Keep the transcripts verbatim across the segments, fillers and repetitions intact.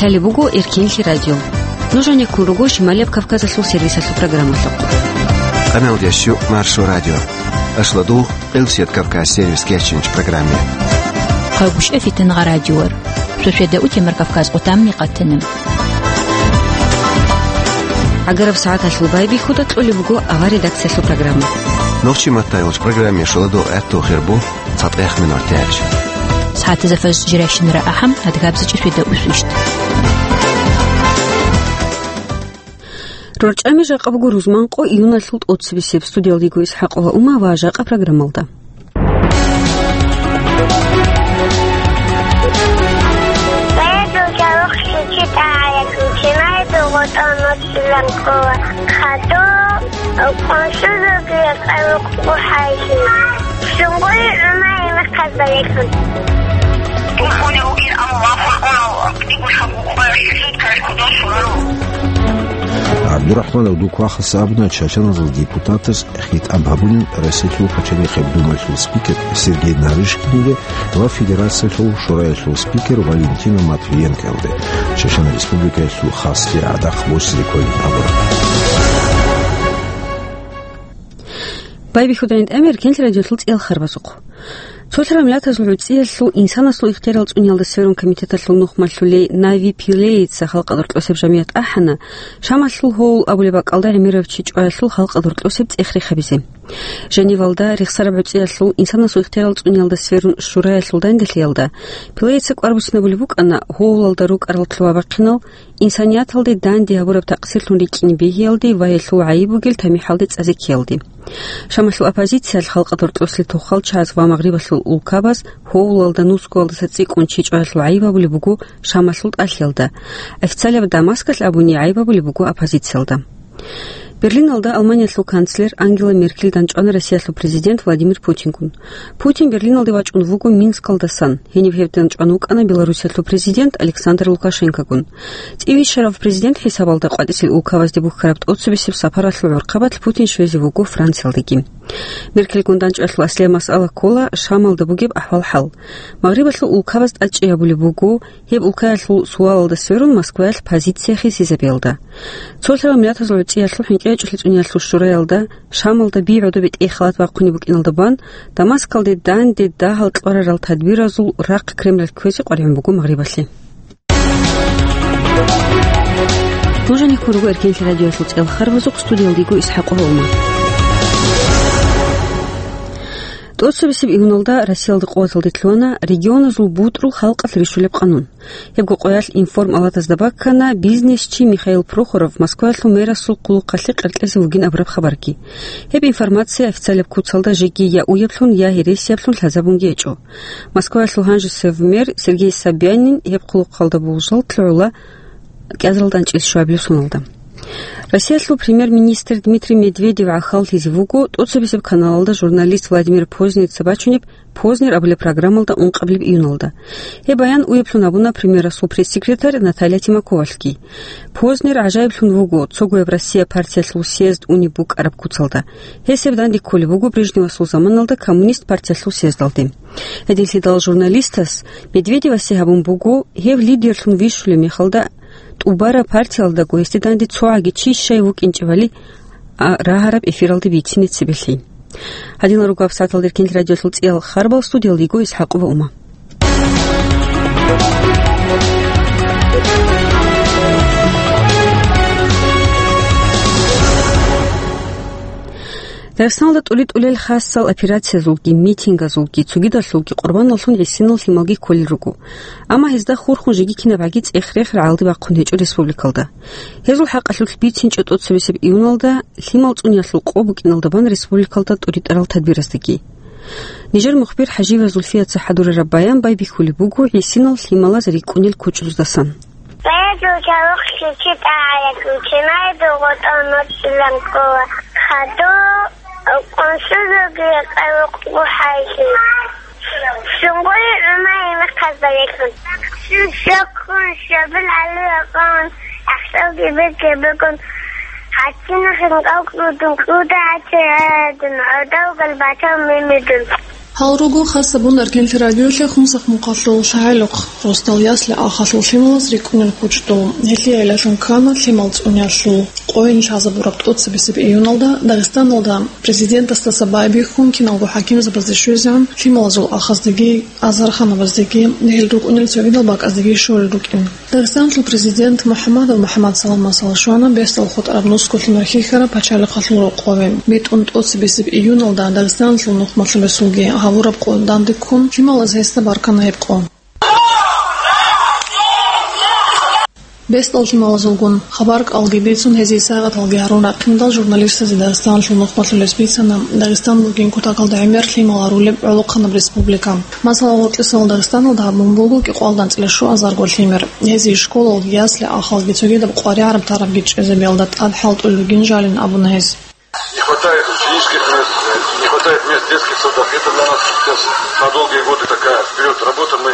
Лъалеб буго Эркенлъи радио. Нуж гьанеккун руго Шималияб Кавказалъул сервисалъул программалъухъ. Къаналдиясчу Маршо радио. Ашладугъ, Къилсият Кавказ сервис кечинч программе. Къагушев Фитангъа радиор. Шошеда утемар Кавказ къутамни къатана. ГӀагараб сагӀаталъул байбихьуда кьолеб буго авар редакциялъул программа. Нохчи маттайгъуч программе шоладо гӀатту хирбу. ЦатӀехъ минуталъ. СагӀатазда фажр жирайщинара ахӀам, адгабзичӀи шведа усвищ. РорчӀами жакъа буго рузманкъо июналъул тӀоцебесеб. Студиялда йиго ИсхӀакъова Ума ва жакъа программалда. Телефоне ругин, амма вахун унал, дигу шагьукъа суд каралъ кодор шураро. ГӀабдурахӀманов Дуквахъас абуна, чачаназул депутатаз хитӀаб гьабунин Россиялъул пачалихъеб думаялъул спикер Сергей Нарышкинилде ва Федерациялъул Шураялъул спикер Валентина Матвиенкоялде, Чачан Республикаялъул хаслъи гӀадахъ босизе кколин абураб. Байбихьуда гӀинтӀамир Эркенлъи радиолъул цӀиял харбазухъ. Цолъарал миллатазул гӀуцӀиялъул инсанасул ихтиярал цӀуниялда сверун комитеталъул нухмалъулей Нави Пилейица халкъалда рокьосеб жамият ахӀана, Шамалъул Гьоул абулеб бакӀалда гӀемерав чи чӀваялъул халкъалда рокьосеб цӀех рехабизе. Женевалда рехсараб гӀуцӀиялъул инсанасул ихтиярал цӀуниялда сверун шураялъул данделъиялда Пилейица кӀвар буссинабулеб букӀана Гьоулалда рукӀарал лъугьа-бахъинал, инсанияталде данде гьабураб такъсирлъун рикӀкӀине бегьиялде ва гьелъул гӀайиб бугел тамихӀалде цӀазе ккеялде. Шамалъул оппозициялъ халкъалда рокьослъи тухал чагӀаз ва Магърибалъул улкабаз Гьоулалда нусгоялдаса цӀикӀкӀун чи чӀваялъул гӀайиб гьабулеб буго Шамалъул тӀалъиялда. Официалаб Дамаскалъ абуни гӀайиб гьабулеб буго оппозициялда. Берлиналда Алманиялъул канцлер Ангела Меркель данчӀвана Россиялъул президент Владимир Путингун. Путин Берлиналде вачӀун вуго Минскалдасан. Гьениб гьев данчӀван вукӀана Белоруссиялъул президент Александр Лукашенкогун. ЦӀивищарав президент хӀисабалда къватӀисел улкабазде бухьараб тӀоцебесеб сапаралъул гӀурхъабалъ Путин щвезе вуго Франциялдеги. Меркельгун данчӀвалъул аслияб масъала ккола Шамалда бугеб ахӀвал-хӀал. Магърибалъул улкабаз тӀадчӀей гьабулеб буго, гьеб улкаялъул суалалда сверун Москваялъ позиция хисизабиялда. Цолъарал миллатазул гӀуцӀиялъул хӀинкъи гьечӀолъи цӀуниялъул шураялда Шамалда би гӀодобе тӀей халат бахъунеб букӀиналда бан, Дамаскалде данде дагьал кьварарал тадбиразул рахъ Кремлалъ кквезе къваригӀун буго Магърибалъе. Нуж гьанеккун руго Эркенлъи радиоялъул цӀиял харбазухъ, студиялда йиго ИсхӀакъова Ума. ТӀоцебесеб июналда Россиялда къуваталде лъугьана регионазул бутӀрул халкъалъ рищулеб къанун. Гьебго къоялъ информалатазда баккана бизнесчи Михаил Прохоров Москваялъул мэрасул хъулухъалъе къеркьезе вугин абураб хабарги. Гьеб информация официалаб куцалда жеги я уяблъун, я гьересияблъун лъазабунги гьечӀо. Москваялъул гьанжесев мэр Сергей Собянин гьеб хъулухъалда болжал лъугӀула кӀиазаралда анчӀиз щуабилеб соналда. Россиялъул премьер-министр Дмитрий Медведев гӀахьаллъизе вуго тӀоцебесеб каналалда журналист Владимир Познерица бачунеб «Познер» абулеб программалда ункъабилеб июналда. Гьеб баян уяблъун гьабуна премьерасул пресс-секретарь Наталья Тимаковалъги. Познер гӀажаиблъун вуго цогояб Россия партиялъул съезд унеб букӀараб куцалда. Гьес гьеб данде кколеб буго Брежневасул заманалда коммунист партиялъул съездалде. Гьединлъидал журналистас Медведевасе гьабун буго, гьев лидерлъун вищулеб мехалда, тӀубараб партиялдаго гьесде данде цогӀаги чи щай вукӀинчӀебали, а, рагьараб эфиралде бицине цебелъи. Гьадинал руго гьабсагӀаталда Эркенлъи радиоялъул цӀиял харбал, студиялда йиго ИсхӀакъова Ума. Дагъистаналда тӀури-тӀулел хасал операциязулги, митингазулги, цогидалъулги къурбаналлъун гӀисинал лъималги кколел руго. Амма гьезда хурхун жеги кинабгӀаги цӀех-рех рагӀалде бахъун гьечӀо республикалда. Гьезул хӀакъалъулъ бицинчӀо тӀоцебесеб июналда лъимал цӀуниялъул къо букӀиналда бан республикалда тӀуритӀарал тадбираздаги. Нижер мухбир ХӀажиева Зульфияца хӀадурараб баян байбихьулеб буго гӀисинал лъималаз рикӀкӀунел кучӀдуздасан. Бегьул чарухълъи чи тӀагӀараб, чинайда гъотӀа нуцӀилан ккола, хадур къуншузулги къайгъухъ бухӀайги. Сунгъури гӀумай мехъаз барекьун. Суккун, шабил гӀалула къавун, ахсалги бекебекун, гьатинахин кӀалкӀудун, кӀуда гьатирадун, гӀодав галбатав мемедун. Гьал руго хасабун Эркенлъи радиолъе хунсахъ мухъалъул лъагӀалухъ, росдал ясли ахалъул лъималаз рикӀкӀунел кучӀдул. Гьелъие гӀелалъун ккана лъимал цӀуниялъул къойин лъазабураб тӀоцебесеб июналда Дагъистаналда президентасдаса байбихьун киналго хӀакимзабазде щвезегӀан лъималазул ахаздеги, азарханабаздеги, гьел рукӀунел цогидал бакӀаздеги щолел рукӀин. Дагъистаналъул президент МухӀаммадов МухӀаммад Салам масала щвана бесдал хутӀараб нусго лъимер хьихьараб пачалихъалъул рокъове. БитӀун тӀоцебесеб июналда Дагъистаналъул нухмалъул ресулги гьавураб къо данде ккун, лъималаз гьесда баркана гьеб къо. Бесдал лъималазулгун хабар-кӀалги бицун, гьезие сагӀаталги гьарун рахъиндал, журналистазе Дагъистаналъул нухмалъулес бицана Дагъистан бугин кутакалда гӀемер лъимал гьарулеб гӀолохъанаб республика. Масала, гъоркьисал Дагъистаналда гьабун буго кӀикъоялда анцӀила щуазарго лъимер. Гьезие школалги, ясли-ахалги, цогидаб къваригӀараб-тарабги чӀезе белда тӀад хӀалтӀулел ругин жалин абуна гьес. Не хватает ученических мест, не хватает мест в детских садах. Это для нас сейчас на долгие годы такая вперед работа. Мы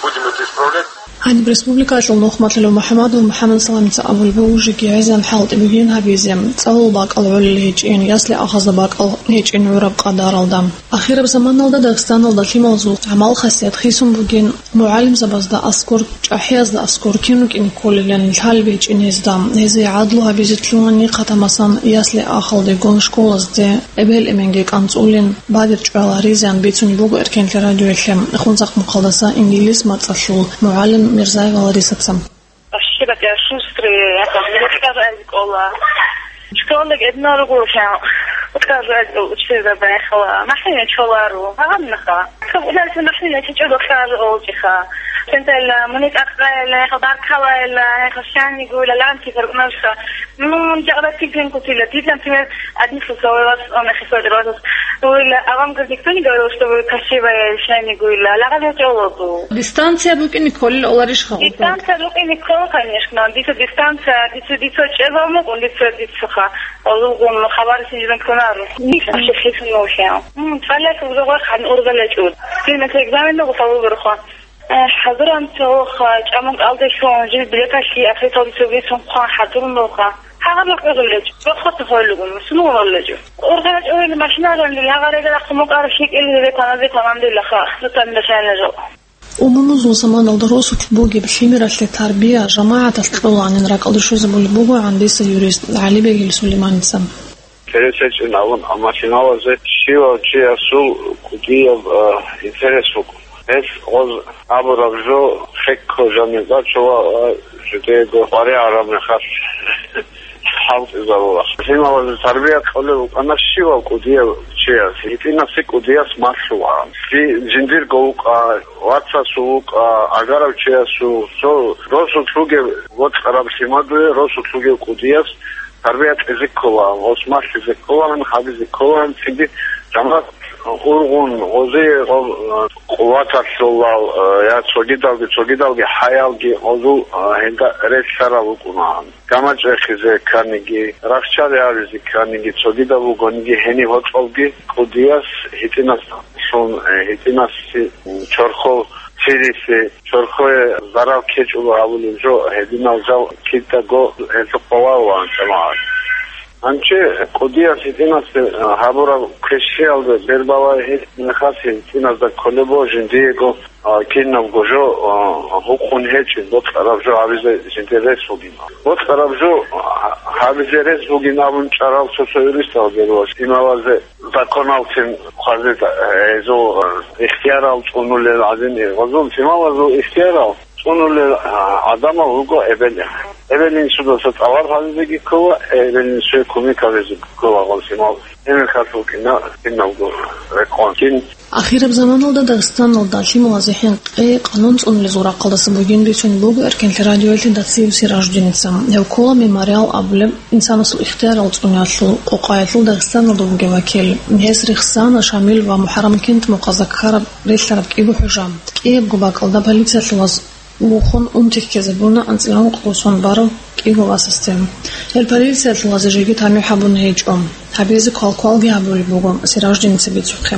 будем это исправлять. Гьаниб республикалъул нухмалъулев МухӀаммадов МухӀаммад Саламица абулеб буго жеги гӀезегӀан хӀалтӀи бугин гьабизе, цӀалул бакӀал гӀолел гьечӀин, ясли-ахазда бакӀал гьечӀин гӀураб къадаралда. Ахираб заманалда Дагъистаналда лъималазул гӀамал-хасият хисун бугин, мугӀалимзабазда аскӀор, чӀахӀиязда аскӀор кин рукӀине кколилан лъалеб гьечӀин гьезда. Гьезие гӀадлу гьабизе лъугьани хъатамасан ясли-ахалдегун школазде эбел-эменги кӀанцӀулин, бадиб чӀвала гьаризеян бицунеб буго Эркенлъи радиоялъе хунсахъ мухъалдаса инглис мацӀалъул мугӀалим Мирзаева Ларисаца. Вообще такая шустрая, я там, мне тоже школа. Школалги гӀединал руго, прям, вот как же учитель забаихала. МахӀина чоларо, гьагъаннаха. Как удался махӀина чечӀого хӀажа олчӀиха. Центральная, муни тӀакъаила, хабар калаила, хашани гуйла, ланти фаркънарша. Ну, жагъра тигрин кутила. Дид, например, одни слова вас, он их использовал. Ой, а вам, говорит, никто не говорил, что вы красивая, шани гуйла? Лагъа чолоду. Дистанция букӀине кколел оларищ халкъ? Дистанция букӀине ккола, конечно. Дица дистанция, дица, дица чӀезал мукӀун, дица, дицаха. Олугун хабар синжиран кунару. Вообще хисун нухя. М, цалякал жогъа хан ургъалачӀуд. Синмаса экзамен нугу фалу берха. Э, хӀазуран цоха, чӀамун кӀалдалъун, жил билеталъи, ахирталде цоги сунхъан хӀадурун нуха. Гьагъаб рахъ ургъалачӀ, рохъоса хойлугун, сунугъалачӀу. УргъалачӀ ойли машинаранил, гьагъарега рахъ мукъар хикӀил гьебе тамазе тамандилаха, сутан башайна жо. Умумузул заманалда росулъ бугеб лъимералъе тарбия жамагӀаталъ кьоланин ракӀалде щвезабулеб бугогӀан дица юрист ГӀалибегил Сулейманица. Интерес гьечӀин абун, амма лъималазе щивав чиясул кӀудияб, а, интерес букӀун. Гьелъ гъоз абураб жо хекко жаниб бачула ва жидеего къваригӀараб мехалъ хӀалтӀизабула. Лъималазе тарбия кьолеб букӀана щивав кӀудияв чияс, гьитӀинабси кӀудияс малъула. Жи-, жиндирго вукӀа, вацасул вукӀа, агарав чиясул, цо росулъ вугев, вокьараб лъимадуе росулъ вугев кӀудияс тарбия кьезе ккола, гъос малъизе ккола, гьабизе ккола, цинги жамагӀат ургъун, гъозе гъо-, къуваталъулал, э, я цогидалги, цогидалги хӀаялги гъозул, э, гьелда релълъарал рукӀуна. ГамачӀ рехизе кканиги, рахчари гьабизе кканиги, цогидаб бугониги, гьениб гьоркьовги кӀудияс гьитӀинасулъун, э, гьитӀинаси чорхол цирилъи, чорхое зарал ккечӀого гьабулеб жо, гьединал жал кидаго гьелъухъ баварулаан жамагӀат. Гьанже кӀудияс гьитӀинасде гьабураб квешлъиялда бербалай гьел мехалъ гьитӀиназда кколеб буго жиндиего, а, кинабго жо, а, гьукъун гьечӀеб, бокьараб жо гьабизе жиндир рес бугин. Бокьараб жо, а, гьабизе рес бугин абун чӀарал цо-цо юристал берула лъималазе. Законалцин хъвазе, э, гьезул, э, ихтиярал цӀунулел гӀадин, э, гъозул лъималазул ихтиярал цӀунулел, э, гӀадамал руго эбел. Эбел-инсудаса тӀалаб гьабизеги ккола, эбел-инсуе кумек гьабизеги ккола гъол лъимал. Гьеб мехалъ букӀина киналго рекъон. Кин. Ахираб заманалда Дагъистаналда лъималазе хӀинкъи къанун цӀунулезул рахъалдаса бугин бицунеб буго Эркенлъи радиоялъе Дациев Сиражуддиница. Гьев ккола Мемориал абулеб инсанасул ихтиярал цӀуниялъул къокъаялъул Дагъистаналда вугев вакил. Гьес рехсана Шамил ва МухӀаррам кентмухъазда ккараб релълъараб кӀиго хӀужа. КӀиябго бакӀалда полициялъулаз вухун унти ккезабуна анцӀила ункъго сон барав кӀиго васасде. Гьел полициялъулазе жеги тамихӀ гьабуна гьечӀо. Гьабизе квалквалги гьабулеб буго Сиражуддиница бицухъе.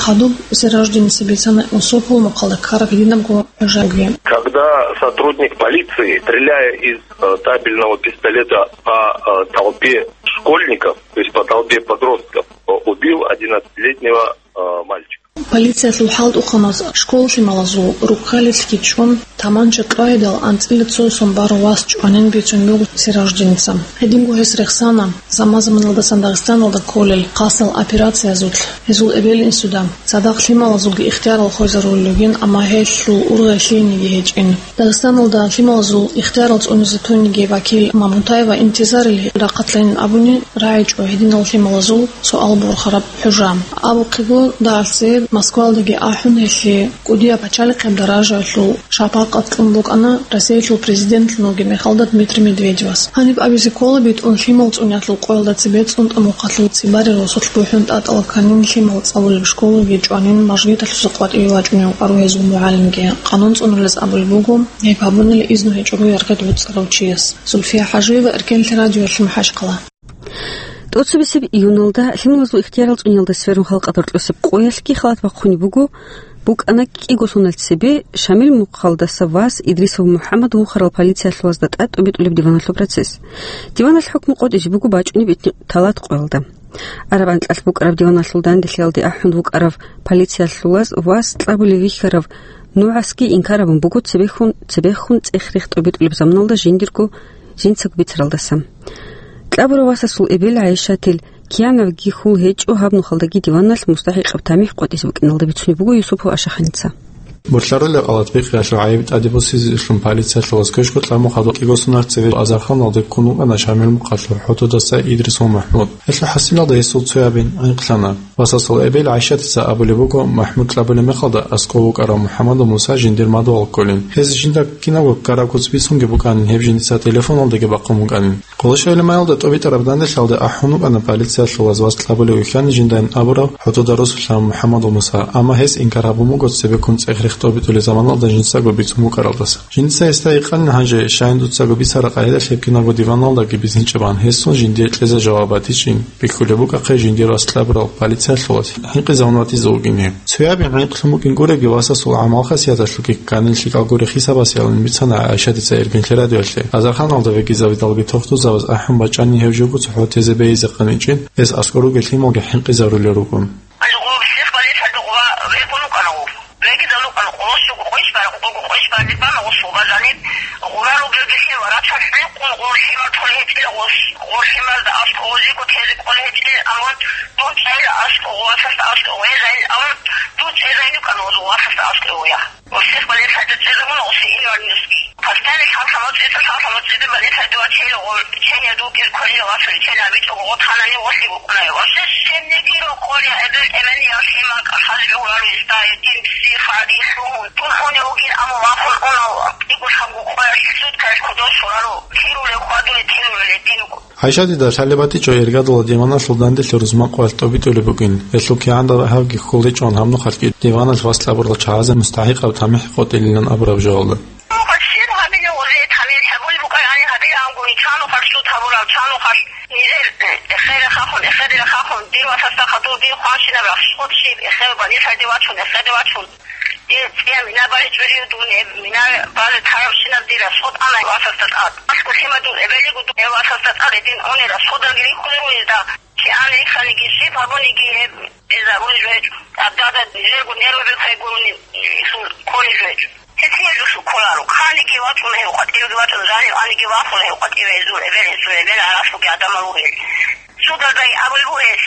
Хадуб Сиражуддиница бицана Юсупул мухъалда ккараб гьединабго хӀужаги. Когда сотрудник полиции, стреляя из, э, табельного пистолета по, э, толпе школьников, то есть по толпе подростков, э, убил одиннадцатилетнего, э, мальчика. Полициялъул хӀалтӀухъаназ школа лъималазул руккалилъги чӀун, таманча кьвайидал анцӀила цо сон барав вас чӀванин бицун буго Сираждиница. Гьединго гьес рехсана, заман-заманалдасан Дагъистаналда кколел хасал операциязулъ гьезул эбел-инсуда. Цадахъ лъималазулги ихтиярал хвезарулел ругин, амма гьелъул ургъел лъиениги гьечӀин. Дагъистаналда лъималазул ихтиярал цӀунизе тониги вакил Мамутаева Интизарил рахъалъанин абуни рагӀичӀо гьединал лъималазул суал борхараб хӀужа. Абухъего, дагьалъе Москвалдаги ахӀун, гьелъие кӀудияб пачалихъеб даражаялъул шапакъат кьун букӀана Россиялъул президентлъун вугеб мехалда Дмитрий Медведевас. Гьаниб абизе ккола, битӀун лъимал цӀунеялъул къоялда цебе цӀунтӀа мухъалъул цебарил росулъ бухӀун тӀатӀала кканин лъимал цӀалулеб школаги чӀванин мажгиталъуса къватӀиве вачӀунев вукӀарав гьезул мугӀалимги. Къанун цӀунулез абулеб буго, гьеб гьабунилан изну гьечӀого яргъид гӀуцӀарав чияс. Зульфия ХӀажиева, Эркенлъи радиоялъе, МахӀачхъала. ТӀоцебесеб июналда лъималазул ихтиярал цӀуниялда сверун халкъалда рокьосеб къоялъги халат бахъунеб буго, букӀана кӀиголъуналъ цебе Шамил мухъалдаса вас Идрисов МухӀаммад вухарал полициялъулазда тӀад тӀобитӀулеб диваналъул процесс. Диваналъ хӀукму къотӀизе буго бачӀунеб итни талат къоялда. Араб анкьалъ букӀараб диваналъул данделъиялде ахӀун вукӀарав полициялъулаз вас кьабулев вихьарав нугӀасги инкар гьабун буго цебехун, цебехун цӀех-рех тӀобитӀулеб заманалда жиндирго жинцаго бицаралдаса. Кьабурав васасул эбел ГӀайшатил киянавги хьул гьечӀо гьаб нухалдаги диваналъ мустахӀикъаб тамихӀ къотӀизе букӀиналда бицунеб буго Юсупов Ашаханица. Бурлъарулел къалатбихъиялъул гӀайиб тӀаде босизеблъун полициялъулаз квешго тӀамухъадул кӀиго сонал цеве азарханалде ккун вукӀана Шамил мухъалъул ХӀутудаса Идрисов МахӀмуд. Гьелъул хӀасилалда гьесул цоябин гӀинкълъана. Васасул эбел ГӀайшатица абулеб буго, МахӀмуд кьабулеб мехалда аскӀов вукӀарав МухӀаммадул Муса жиндир мадугьал кколин. Гьез жинда кинабго ккараб куц бицунги букӀанин, гьеб жиндица телефоналдаги бахъун букӀанин. Къолошайилимаялда тӀобитӀараб данделъиялде ахӀун вукӀана полициялъулаз вас кьабулев вихьани жиндайин абурав ХӀутуда росулъа МухӀаммадул Муса, амма гьес инкар гьабун буго цебеккун цӀех-рех тӀобитӀулел заманалда жинцаго бицун букӀаралдаса. Жинца гьесда гьикъанин гьанже, щайин дуцаго бицараб къагӀидалъ гьеб кинабго диваналдаги бицинчӀебан, гьесун жиндие кьезе жаваб батичӀин, бихьулеб букӀахъе жиндир вас кьабурал полициялъулаз хӀинкъизавун ватизе вугин гьеб. Цоябин гӀинкълъун букӀин гуреги, васасул гӀамал-хасияталъулги кканил лъикӀал гуре хисабасеялъун бицана ГӀайшатица Эркенлъи радиоялъе. Азарханалда вегизавидалги тохтузаваз ахӀун бачӀани гьев живго цохӀо тезе бейизехъаничӀин, гьес аскӀор ругел лъималги хӀинкъизарулел ругун. Вегизавлукъана къоло щуго къойщ бара, къого къойщ бара, дибана гъос вугазаниб, гъура ругелги лъим ва рацалъ гӀинкъун гъур лъимал толей гьечӀила гъос, гъур лъималда аскӀов гъозиго тезе кӀолей гьечӀила, амма дун цӀела аскӀов, васасда аскӀов гъезайин, амма дун цӀезайин рукӀана гъоз васасда аскӀов я. Гъосихъ балес хӀайда цӀезабуна гъоси инвалидность. Постоянно лъалхъа моцӀица, лъалхъа моцӀида балес хӀайда вачейла гъол, чения дугир кванила васули, чения абичӀого гъо танани гъолъи букӀунай. Вообще щеннигиро кколей эбел-, эбел-эмен я лъимал кӀалъазе гьураро гьесда, гьедин психо гьадин лъугьун. Дун гьунев вугин, амма вахун унав, кӀиго-лъабго къоялъ суд кайс кодо щварало, лъирулев хьвадулев, лъирулев гьедин вуго. ГӀайшатида лъалеб батичӀо иргадула диваналъул данделъи рузман къоялъ тӀобитӀулеб бугин. Гьелъул кигӀан дагьабги хьул гьечӀон гьаб нухалъги диваналъ вас кьабурал чагӀазе мустахӀикъаб тамихӀ къотӀилилан абураб жоялда. Нухалъ щиб гьабилеб гъозе тамихӀ гьабулеб букӀарани гьабилаангун, чан нухалъ суд гьабураб, чан нухалъ нижер, э, эхере хахун, эхере хахун, дир васасда хадур дир хъванщинаб рахщ щиб, эхер балесалде вачун, эхеде вачун. Дир цӀия мина бале чӀужив дун, гьеб мина бале тарабщинаб дир расход ана васасда тӀад. АскӀу лъимадул эбелигу дун гьев васасда тӀад гьедин гьуни расходалги рихьулел ругезда. КигӀан рихьаниги, щиб гьабуниги гьеб гьезабулел жо гьечӀо. Абдада нижерго нерваби хвегуруни, исул кколел жо гьечӀо. Гьесие жо кколаро. Хъаниги вачӀуна гьев къватӀивеги вачӀуна, жанив аниги вахуна гьев къватӀиве, гьезул эбел, гьесул эбел гӀаралъуги гӀадамал ругел. Судалдаги абулеб бугес,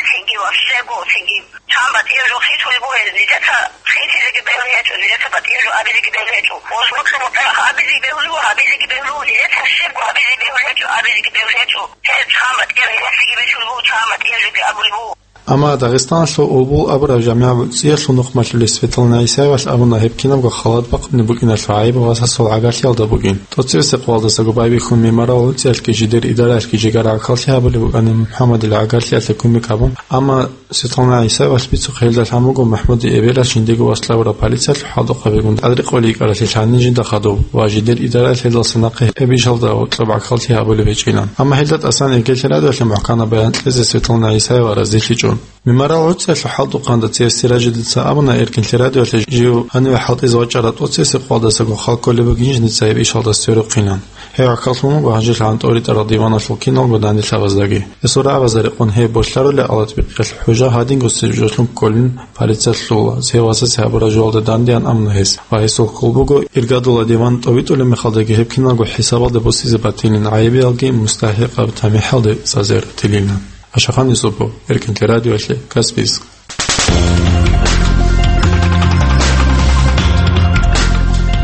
цинги ващего, цинги Чан батӀияб жо хисулеб бугеб, нилъеца хисизеги бегьулеб гьечӀо, нилъеца батӀияб жо абизеги бегьулеб гьечӀо. Ва муцӀ-муцӀ абизеги бегьулеб, гьабизеги бегьулеб, нилъеца щибго гьабизеги бегьулеб гьечӀо, абизеги бегьулеб гьечӀо. Гьеб чан батӀияб гьесиги бегьулеб буго, чан батӀияб жоги абулеб буго. Амма Дагъистаналъул Улбул абураб жамигӀа гӀуцӀиялъул нухмалъулес Светлана Исаевалъ абуна, гьеб кинабго халат бахъунеб букӀиналъул гӀайиб васасул гӀагарлъиялда бугин. ТӀоцебесеб къоялдасаго байбихьун мемориал гӀуцӀиялъги жидер идараялъги жигар гӀахьаллъи гьабулеб букӀанин МухӀаммадил гӀагарлъиялъе кумек гьабун, амма Светлана ГӀисаевалъ бицухъе гьелда лъан буго МахӀмудил эбелалъ жиндиего вас кьабураб полициялъул хӀалтӀухъабигун тӀадрекъолей йикӀаралъе лъанин жинда хадуб ва жидер идараялъ гьелдаса нахъе гьеб ишалда гьоркьоб гӀахьаллъи гьабулеб гьечӀилан. Амма гьелда тӀасан Эркенлъи радиоялъе мухӀканаб баян кьезе Светлана ГӀисаева разилъичӀо. Мемориал гӀуцӀиялъул хӀалтӀухъанда цеве Сиражидица абуна, Эркинлъи радиоялъе жив гьаниве хӀалтӀизе вачӀарал тӀоцебесеб къоялдасаго хал кколеб бугин жинца гьеб ишалдаса цере рухъинан. Гьев гӀахьаллъун буго гьанжелъагӀан тӀоритӀарал диваналъул киналго данделъабаздаги. Гьесул рагӀабазда рекъон гьеб болъарулеб гӀалатбикъиялъ хӀужа гьадинго суждалъун кколин полициялъ лъугьула, цеве васасе гьабураб жоялда дандеян абуна гьес, ва гьесул хьул буго, иргадула диван тӀобитӀулеб мехалдаги гьеб киналго хӀисабалда босизе батилин, гӀайибиялги мустахӀикъаб тамихӀалде сазе ратилилан. Ашахан Юсупов, Эркинлъи радиоялъе, Каспийск.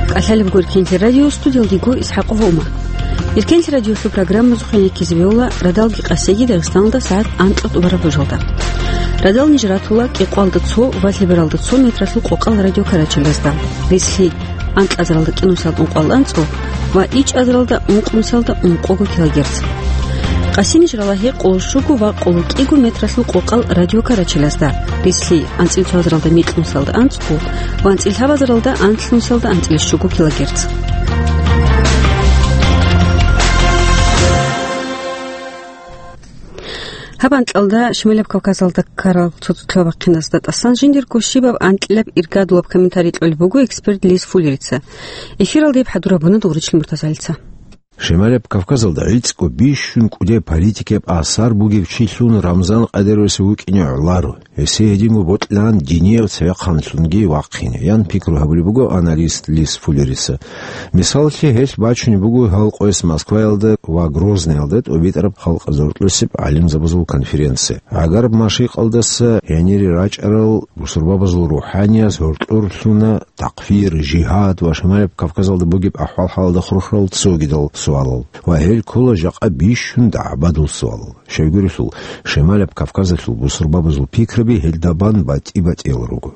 КӀалъалеб буго Эркинлъи радио, студиялдего ИсхӀакъова Ума. Эркинлъи радиолъул программазухъе ккезе бегьула радалги къасиги Дагъистаналда сагӀат анкьа тӀубараб божалда. Радал ниж ратула кӀикъоялда цо ва лъебералда цо метралъул къокъал радио карачелазда. Рислъи анкьазаралда кӀинусиялда ункъоялда анцӀго ва ичӀазаралда ункънусиялда ункъого килогерц. Къасиниж рала гьекъоло щуго ва къоло кӀиго метралъул къокъал радио карачелазда, рислъи анцӀил цоазаралда микьнусиялда анцӀго ва анцӀил лъабазаралда анлънусиялда анцӀил щуго килогерц. Гьаб анкьалда Шималаб Кавказалда ккарал цоцолъаб бахъиназда тӀасан жиндирго щибаб анкьилаб иргадулаб комментарий кьолеб буго эксперт Лис Фуллерица. Эфиралда гьеб хӀадураб буна Дугъричил Муртазалица. Шималаб Кавказалда гӀицӀго бищун кӀудеб политикияб асар бугев чилъун Рамзан Къадировас вукӀине гӀоларо. Гьесие гьединго бокьилаан динияб цевехъанлъунги вахъине, ян пикру гьабулеб буго аналист Лис Фуллерица. Мисаллъи, гьелъ бачунеб буго гьал къояс Москваялда ва Грозныйалда тӀубитӀараб халкъ зортлъусеб гӀалимзабазул конференция. ГӀагараб машикъалдаса гьенире рачӀарал бусурбабазул рухӀаниязул гьоркьор лъуна такфир, жигьад ва Шималаб Кавказалда бугеб ахӀвал-хӀалалда хурхарал цогидал суалал. Ва гьел ккола жакъа бищун дагӀбадул суалал. Щайгурелъул, Шималаб Кавказалъул бусурбабазул пикраби гьелда бан батӀи-батӀиял руго.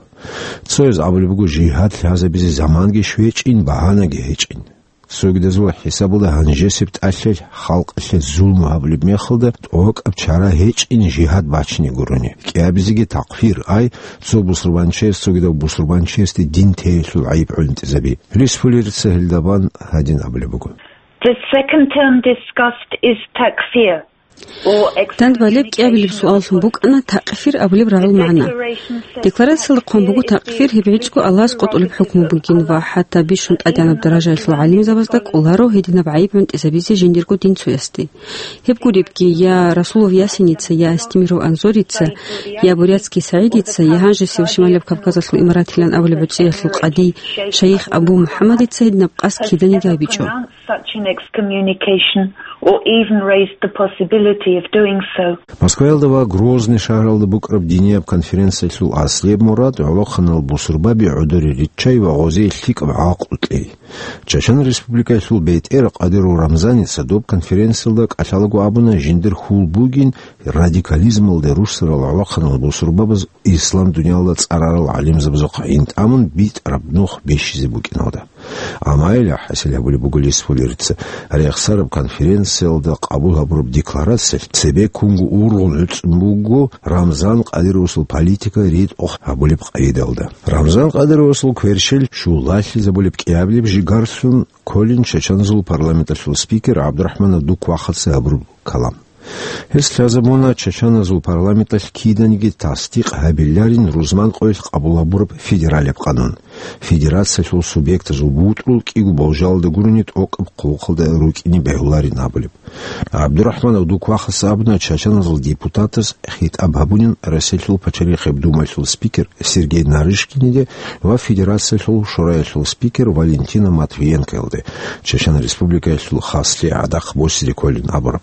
Цояз абулеб буго, жигьад лъазабизе заманги щвечӀин, багьанаги гьечӀин. Цогидазул хӀисабалда гьанжесеб тӀалъи халкъалъе зулму гьабулеб мехалда тӀокӀаб чара гьечӀин жигьад бачине гурони. КӀиабизеги такфир, ай, цо бусурбанчияс цогидав бусурбанчиясде дин теялъул гӀайиб гӀунтӀизаби. Лис Фуллерица гьелда бан гьадин абулеб буго. The second term discussed is takfir. Дандбалеб кӀиабилеб суаллъун букӀана такъфир абулеб рагӀул магӀна. Декларациялда хъван буго такъфир гьеб гӀицӀго Аллагьас къотӀулеб хӀукму бугин ва хӀатта бищун тӀадегӀанаб даражаялъул гӀалимзабазда кӀоларо гьединаб гӀайиб гӀунтӀизабизе жиндирго динцоясде. Гьеб гуребги, я Расулов Ясиница, я Астемиров Анзорица, я Бурятский СагӀидица, я гьанжесев Шималаб Кавказалъул имаратилан абулеб гӀуцӀиялъул къади шайих Абу МухӀаммадица гьединаб къасд киданиги гьабичӀо. Such an excommunication or even raised the possibility of doing so. Москваялда ва Грозный шагьаралда букӀараб динияб конференциялъул аслияб мурад гӀолохъанал бусурбаби гӀодоре риччай ва гъозие лъикӀаб гӀакълу кьей. Чачан Республикаялъул бетӀер Къадиров Рамзаница доб конференциялда кӀалъалаго абуна, жиндир хьул бугин радикализмалде руссарал гӀолохъанал бусурбабаз ислам дуниялда цӀарарал гӀалимзабазухъ гӀин тӀамун битӀараб нух бищизе букӀиналда. Амма гьеле хӀасил гьабулеб буго Лис Фуллерица, рехсараб конференциялда къабул гьабураб декларациялъ цебеккунго ургъун гӀуцӀун буго Рамзан Къадировасул политика ритӀухъ гьабулеб къагӀидалда. Рамзан Къадировасул кверщел щулалъизабулеб кӀиабилеб жигарлъун кколин чачаназул парламенталъул спикер ГӀабдурахӀман Абдуквахаца гьабураб калам. Гьес лъазабуна чачаназул парламенталъ киданиги тасдикъ гьабиларин рузман къоялъ къабул гьабураб федералияб къанун. Федерациялъул субъектазул бутӀрул кӀиго болжалда гурони тӀокӀаб хъулухъалда рукӀине бегьуларин абулеб. ГӀабдурахӀман Абдуквахас абуна чачаназул депутатаз хитӀаб гьабунин Россиялъул пачалихъияб думаялъул спикер Сергей Нарышкиниде ва Федерациялъул шораялъул спикер Валентина Матвиенкоялде, Чечен Республикаялъул хаслъи гӀадахъ босизе кколин абураб.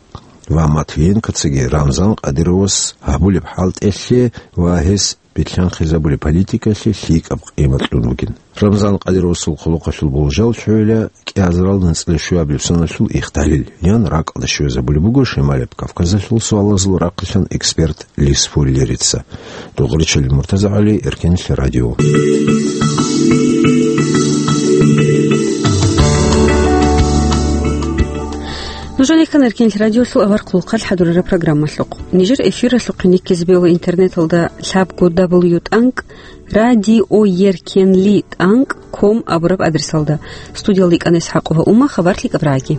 Ва Матвиенкоцаги Рамзан Къадировас гьабулеб хӀалтӀелъе ва гьес билълъанхъизабулеб политикалъе лъикӀаб къимат кьун бугин. Рамзан Къадировасул хъулухъалъул болжал лъугӀила кӀиазарал нацӀила щуабилеб соналъул ихталил, ян ракӀалда щвезабулеб буго Шималаб Кавказалъул суалазул рахъилъан эксперт Лис Фуллерица. Дугъричил МуртазагӀали, Эркенлъи радио. Нуж рекан Эркенлъи радиолъул авар хъулухъалъ хӀадурараб программалъухъ. Нижер эфиралъухъе никкизе бегьула интернеталда лъабго дабл ю тӀанкӀ радиоеркенли тӀанкӀ ком абураб адресалда. Студиялда икӀана ИсхӀакъова Ума, хабар лъикӀаб рагӀаги.